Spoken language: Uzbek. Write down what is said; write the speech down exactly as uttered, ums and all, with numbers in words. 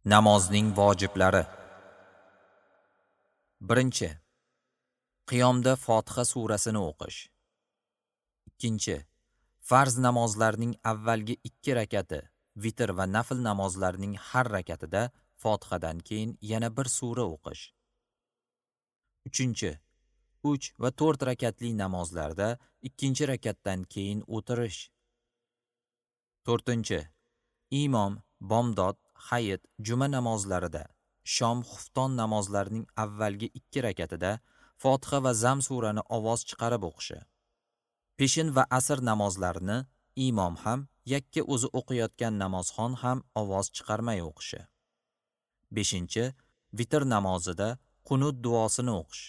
Namozning vojiblari. Birinchi. Qiyomda Fotiha surasini o'qish. Ikkinchi. Farz namozlarning avvalgi ikki rakati, vitr va nafl namozlarning har rakatida Fotihadan keyin yana bir sura o'qish. Uchinchi. Uch va to'rt rakatli namozlarda ikkinchi rakatdan keyin o'tirish. To'rtinchi. Imom, bomdod, hayit, juma namozlarida, shom, xufton namozlarining avvalgi ikki rakatida Fotiha va Zam surani ovoz chiqarib o'qishi. Peshin va asr namozlarini imom ham, yakka o'zi o'qiyotgan namozxon ham ovoz chiqarmay o'qishi. Beshinchi, vitr namozida qunut duosini o'qish.